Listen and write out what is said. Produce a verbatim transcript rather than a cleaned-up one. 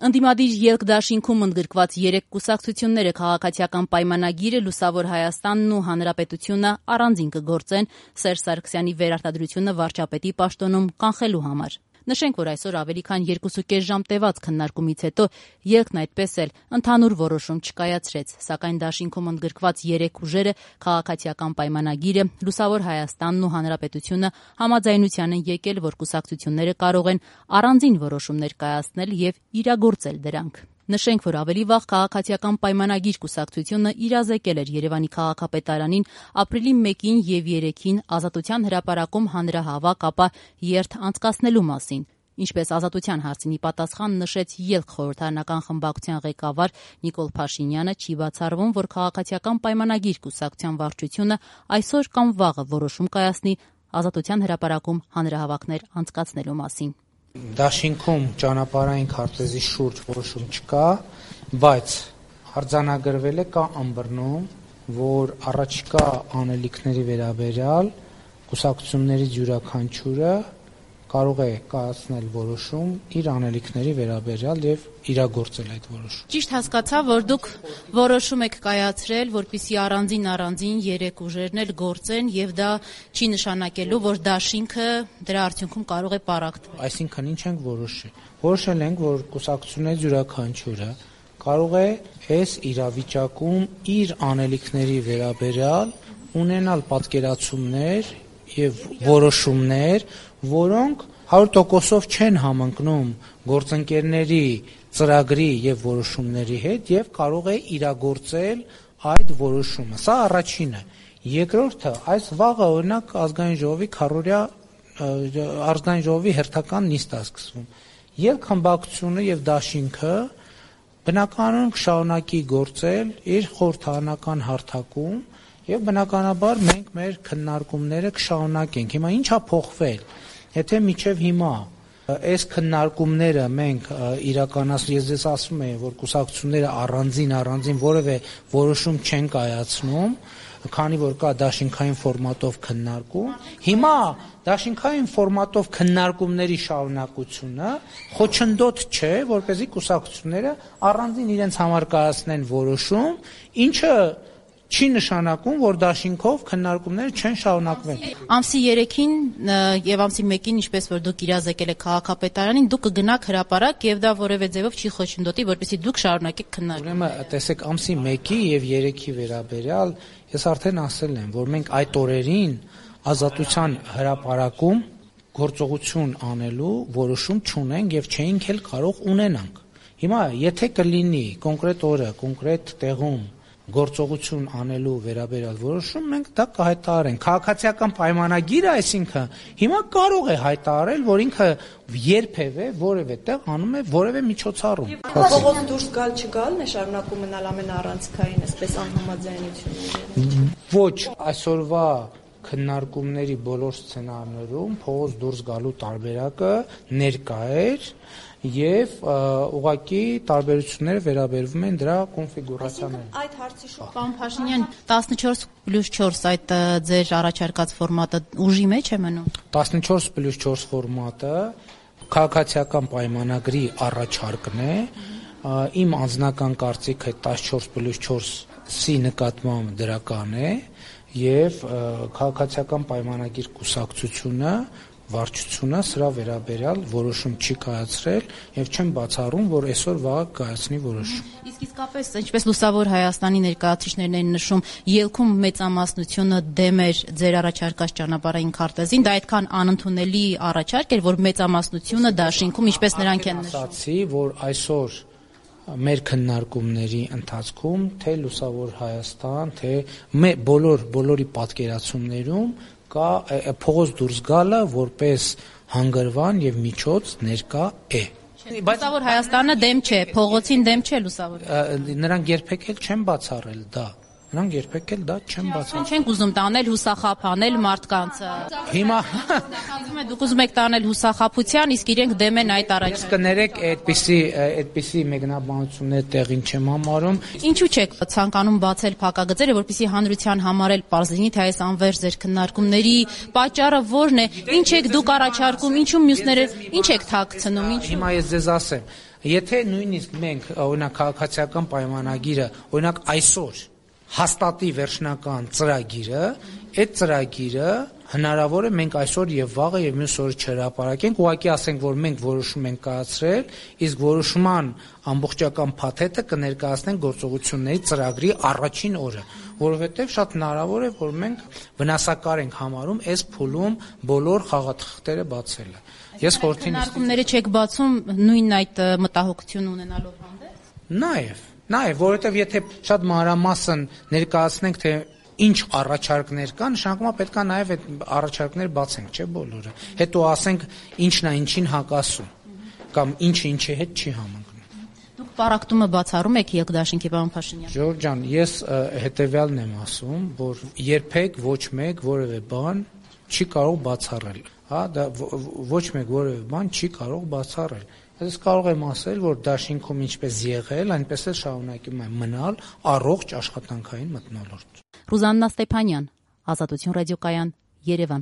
Ընդդիմադիր ելք դաշինքում ընդգրկված երեք կուսակցությունները քաղաքացիական պայմանագիրը, Լուսավոր Հայաստանն ու Հանրապետությունը առանձին կգործեն Սերժ Սարգսյանի վերարտադրությունը վարչապետի պաշտոնում կանխելու համար։ Նշենք, որ այսօր ավելի քան երկուսուկես ժամ տևած քննարկումից հետո ելքն այդպես էլ ընդհանուր որոշում չկայացրեց, սակայն դաշինքում ընդգրկված երեք ուժերը քաղաքացիական պայմանագիրը, Լուսավոր Հայաստանն ու Հանրապետությունը համաձայնության են եկել, որ կուսակցությունները կարող են առանձին որոշումներ կայացնել եւ իրագործել դրանք։ Նշենք, որ ավելի վաղ քաղաքացիական պայմանագիր կուսակցությունը իրազեկել էր Երևանի քաղաքապետարանին ապրիլի մեկին եւ երեքին Ազատության հրապարակում հանրահավաք, ապա երթ անցկացնելու մասին։ Ինչպես Ազատության հարցին պատասխան նշեց ելք խորհրդարանական խմբակցության ղեկավար Նիկոլ Փաշինյանը, չի բացառվում, որ քաղաքացիական պայմանագիր կուսակցության վարչությունը այսօր կամ վաղը որոշում կայացնի Ազատության հրապարակում հանրահավաքներ անցկացնելու մասին։ Դաշինքում ճանապարհային քարտեզի շուրջ որոշում չկա, բայց արձանագրվել է կա ըմբռնում, որ առաջիկա անելիքների վերաբերյալ կուսակցություններից յուրաքանչյուրը կարող է կայացնել որոշում իր անելիքների վերաբերյալ եւ իրագործել այդ որոշումը։ Ճիշտ հասկացա, որ դուք որոշում եք կայացրել, որպեսզի առանձին առանձին երեք ուժերն էլ գործեն եւ դա չի նշանակելու, որ դաշինքը դրա արդյունքում կարող է պառակտվել։ Այսինքն ինչ ենք որոշել։ Որոշել ենք, որ կուսակցություններից յուրաքանչյուրը կարող է այս իրավիճակում իր անելիքների վերաբերյալ ունենալ պատկերացումներ եւ որոշումներ, որոնք հարյուր տոկոսով չեն համընկնում գործընկերների ծրագրի եւ որոշումների հետ եւ կարող է իրագործել այդ որոշումը։ Սա առաջինը։ Երկրորդը, այս վաղը օրինակ ազգային ժողովի քառօրյա ազգային ժողովի հերթական նիստ է սկսվում։ Ելք խմբակցությունը եւ դաշինքը բնականon կշարունակի գործել իր խորհրդարանական հարթակում եւ բնականաբար մենք մեր քննարկումները կշարունակենք։ Հիմա ի՞նչ է փոխվել։ Եթե միջև հիմա այս քննարկումները մենք իրականացնում, ես ձեզ ասում եմ, որ կուսակցությունները առանձին առանձին որևէ որոշում չեն կայացնում, քանի որ կա դաշինքային ֆորմատով քննարկում, հիմա դաշինքային ֆորմատով քննարկումների շարունակությունը խոչընդոտ չէ, որպեսզի կուսակցությունները առանձին իրենց համար կայացնեն որոշում, ինչը չի նշանակում, որ դաշինքով քննարկումները չեն շարունակվեն։ Ամսի երեքին եւ ամսի մեկին, ինչպես որ դուք իրազեկել եք քաղաքապետարանին, դուք կգնաք հրապարակ եւ դա որևէ ձևով չի խոչընդոտի, որպեսզի դուք շարունակեք քննարկում։ Ուրեմն, տեսեք, ամսի մեկի եւ երեքի վերաբերյալ ես արդեն ասել եմ, որ մենք այդ օրերին Ազատության հրապարակում գործողություն անելու որոշում չունենք եւ չէինք էլ կարող ունենանք։ Հիմա եթե կլինի կոնկրետ օրը, կոնկրետ տեղում գործողություն անելու վերաբերյալ որոշում, մենք դա կհայտարարենք։ Քաղաքացիական պայմանագիրը, այսինքն, հիմա կարող է հայտարարել, որ ինքը երբևէ որևէ տեղ անում է որևէ միջոցառում։ Փողոց դուրս գալ չգալն է շարունակում մնալ ամենաառանցքային, այսպես անհամաձայնությունները։ Ոչ, այսօրվա քննարկումների բոլոր սցենարներում փողոց դուրս գալու տարբերակը ներկա էր եւ ուղղակի տարբերությունները վերաբերվում են դրա կոնֆիգուրացիաներին։ Այդ հարցի շուրջ Պարոն Փաշինյան, տասնչորս պլյուս չորս այդ ձեր առաջարկած ֆորմատը ուժի մեջ է մնում։ տասնչորս պլյուս չորս ֆորմատը քաղաքացիական պայմանագրի առաջարկն է։ Իմ անձնական կարծիքը տասնչորս պլյուս չորսի նկատմամբ դրական է եւ քաղաքացիական պայմանագիր կուսակցությունը վարչությունը սրա վերաբերյալ որոշում չի կայացրել եւ չեմ բացառում, որ այսօր վաղը կայացնի որոշում։ Իսկ իսկապես, ինչպես Լուսավոր Հայաստանի ներկայացուցիչներն են նշում, ելքում մեծամասնությունը դեմ էր ձեր առաջարկած ճանապարհային քարտեզին, դա այդքան անընդունելի առաջարկ էր, որ մեծամասնությունը դաշինքում, ինչպես նրանք են նշում։ Ասացի, որ այսօր մեր քննարկումների ընթացքում թե Լուսավոր Հայաստան, թե բոլոր բոլորի պատկերացումներում կա փողոց դուրս գալը որպես հանգրվան եւ միջոց ներկա է։ Լուսավոր Հայաստանը դեմ չէ, փողոցին դեմ չէ Լուսավոր։ Նրանք երբեք էլ չեն բացառել դա։ Նրանք երբեք էլ դա չեն բացառել։ Չենք ուզում տանել հուսախապ անել մարդկանց։ Հիմա ասում է դուք ուզում եք տանել հուսախապության, իսկ իրենք դեմ են այդ առաջարկին։ Իսկ կներեք, այդպիսի այդպիսի մեկնաբանություններ տեղին չեմ համարում։ Ինչու չեք ցանկանում բացել փակագծերը, որպեսզի հանրության համար էլ պարզ լինի, թե այս անվերջ ձեր քննարկումների պատճառը որն է, ինչ եք դուք առաջարկում, ինչու մյուսները ինչ եք թաքցնում, ինչ։ Հիմա ես ձեզ ասեմ, Եթե նույնիսկ մենք օրինակ քաղաքացիական պայմանագիրը, օրինակ այսօր հաստատի վերջնական ծրագիրը, այդ ծրագիրը հնարավոր է մենք այսօր եւ վաղը եւ մյուս օրը չհրապարակենք, ուղղակի ասենք, որ մենք որոշում ենք կայացրել, իսկ որոշման ամբողջական փաթեթը կներկայացնենք գործողությունների ծրագրի առաջին օրը, որովհետեւ շատ հնարավոր է, որ մենք վնասակար ենք համարում այս փուլում բոլոր խաղաթղթերը բացելը։ Ես խորհրդին քննարկումները չեք բացում նույն այդ մտահոգություն ունենալով հանդերձ։ Նաեւ Նաեւ, որովհետեւ եթե շատ մանրամասն ներկայացնենք, թե ինչ առաջարկներ կան, նշանակում է պետք է նաեւ այդ առաջարկները բացենք, չէ՞ բոլորը։ Հետո ասենք ինչն է ինչին հակասում, կամ ինչը ինչի հետ չի համընկնում։ Դուք պարակտումը բացառում եք Եղգդաշինքի պարոն Փաշինյան։ Ժողովուրդ ջան, ես հետեւյալն եմ ասում, որ երբեք ոչ մեկ որևէ բան չի կարող բացառել, հա, դա ոչ մեկ որևէ բան չի կարող բացառել։ Ես կարող եմ ասել, որ դաշինքում ինչպես եղել, այնպես էլ շարունակում է մնալ առողջ աշխատանքային մթնոլորտ։ Ռուզաննա Ստեփանյան, Ազատություն ռադիոկայան, Երևան։